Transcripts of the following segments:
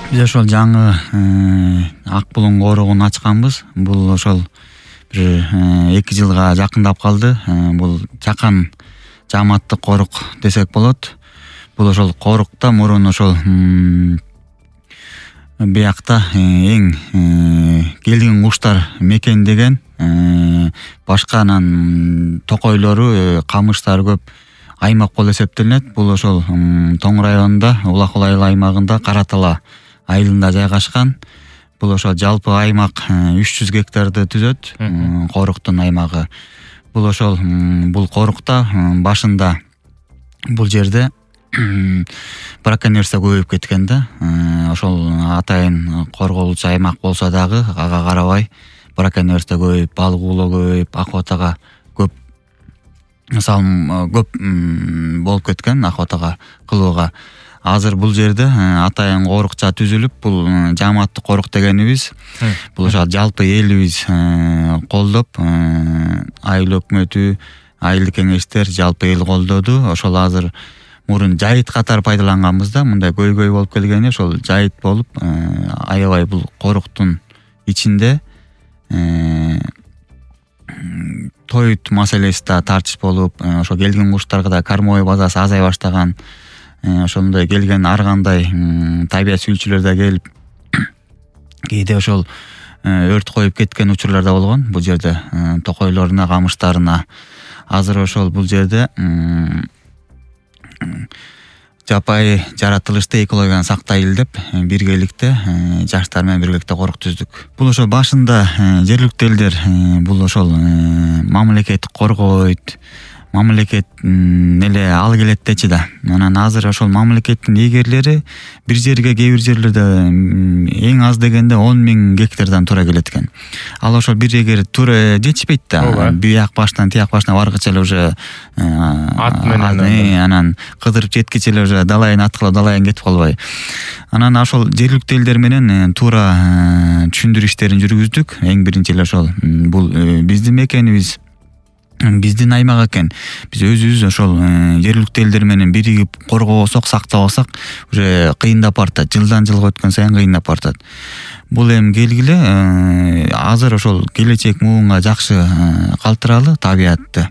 Биз ошол жаңы Ак Булуң коругун ачканбыз. Бул ошол бир 2 жылга жакындап калды. Бул Чакан жааматтык корук десек болот. Бул ошол корукта мурун ошол биякта эң келген куштар мекендеген, башка анан токойлору, камыштар көп аймак болуп эсептелинет. Бул ошол Тоң районунда, Улакул айыл аймагында Каратала айылында жайгашкан. Бул ошол жалпы аймак 300 гектарды түзөт, коруктун аймагы. Бул ошол бул корукта башында бул жерде браконьерство көбөйүп кеткен да. Ошол атайын корголуучу аймак болсо дагы ага карабай браконьерство көбөйүп, балык уулоо көбөйүп, акыбатага көп көп болуп кеткен, акыбатага кылууга. Азыр бул жерде атайын корукча түзүлүп, бул жааматтык корук дегенибиз бул ошо жалпы элибиз колдоп, айыл өкмөтү, айылдык кеңештер, жалпы эл колдоду. Ошол азыр мурун жайыт катары пайдаланганбыз да, мындай көйгөй болуп келгени ошол жайыт болуп, аябай бул коруктун ичинде тоют маселеси да тартыш болуп, ошо келген куштарга да кормовой базасы азая баштаган. Ошондой келген ар кандай табият сүйүүчүлөр да келип кээде ошол өрт коюп кеткен учурлар да болгон бул жерде, токойлоруна, камыштарына. Азыр ошол бул жерде жапайы жаратылышты, экологияны сактайлы деп биргеликте жаштар менен биргеликте корук түздүк. Бул ошол башында жергиликтүү элдер бул ошол мамлекет коргойт, мамлекет эле ал келет дечи да. Анан азыр ошол мамлекеттин эгерлери бир жерге, кээ бир жерлерде эң аз дегенде 10.000 гектардан туура келет экен. Ал ошол бир эгер туура жетишпейт да. Бияк баштан тияк башына баргыча эле уже ат менен анан кыдырып жеткиче эле уже далайын аткылап далайын кетип калбай. Анан ошол жергиликтүү элдер менен туура түшүндүрүү иштерин жүргүздүк. Эң биринчи эле ошол бул биздин мекенибиз, биздин аймак экен. Биз өзүбүз ошол жергиликтүү элдер менен биригип коргобосок, сактабасак уже кыйындап бартат. Жылдан жылга өткөн сайын кыйындап бартат. Бул эми келгиле азыр ошол келечек муунга жакшы калтыралы табиятты.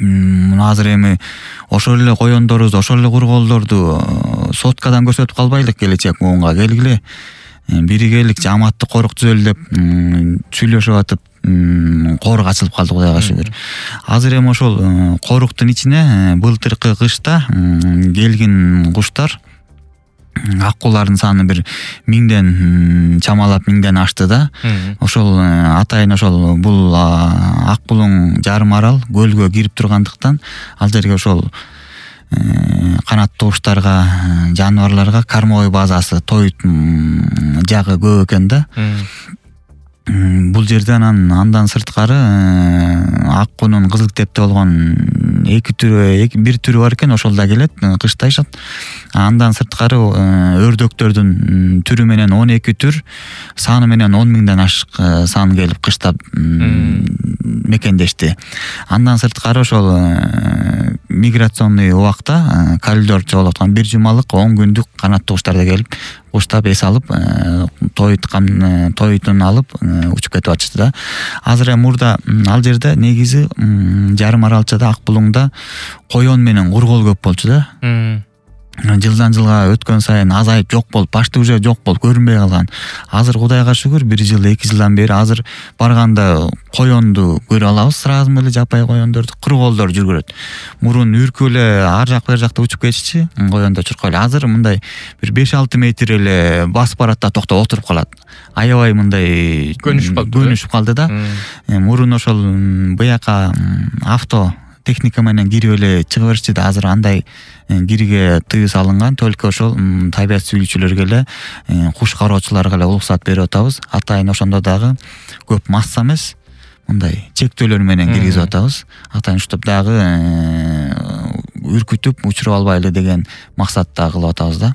Азыр эми ошол эле коёндорубузду, ошол эле курголдорду соткадан көрсөтүп калбайлык, келечек муунга келгиле биригелик жааматтык корук түзөлү деп сүйлөшүп атып корук ачылып калды, Кудайга шүгүр. Азыр эми ошол коруктун ичине былтыркы кышта келген куштар, аккулардын саны бир 1000ден чамалап 1000ден ашты да. Ошол атайын ошол бул Ак Булуң жарым арал көлгө кирип тургандыктан ал жерге ошол канаттуу куштарга, жаныбарларга кормовой базасы, тоют жагы көп экен да. Бул жерде андан сырткары аккунун кызыл китепте болгон бир түрү бар экен, ошол да келет, кыштайшат. Андан сырткары өрдөктөрдүн түрү менен 12 түр, саны менен 10.000ден ашык сан келип кыштап мекендешти. Андан сырткары ошол миграционный убакта коридор чогулуп аткан 1 жумалык 10 күндүк канаттуу куштар да келип куштап эс алып, тоютун алып учуп кетип атышты да. Азыр мурда ал жерде негизи жарым аралчада Ак Булуңда коён менен кургол көп болчу да. Жылдан жылга өткөн сайын азайып жок болуп, башты уже жок болуп көрүнбөй калган. Азыр Кудайга шүгүр 1 жыл, 2 жылдан бери азыр барганда коёнду көрө алабыз, сразу эле жапайы коёндорду, курголдор жүргөрөт. Мурун үркүп эле ар жак бер жакта учуп кетишчи, коёндор чуркайлы. Азыр мындай бир 5-6 метр эле басып барат да токтоп отуруп калат. Аябай мындай көнүшүп калды да. Мурун ошол бияка авто техника менен кирип эле чыга беришти да. Азыр андай кирге тыюу салынган, только ошол табият сүйүүчүлөргө эле, куш кароочуларга эле уруксат берип атабыз. Атайын ошондо дагы көп масса эмес, мындай чектөөлөр менен киргизип атабыз. Атайын уштап дагы үркүтүп учуруп албайлы деген максатта кылып атабыз да.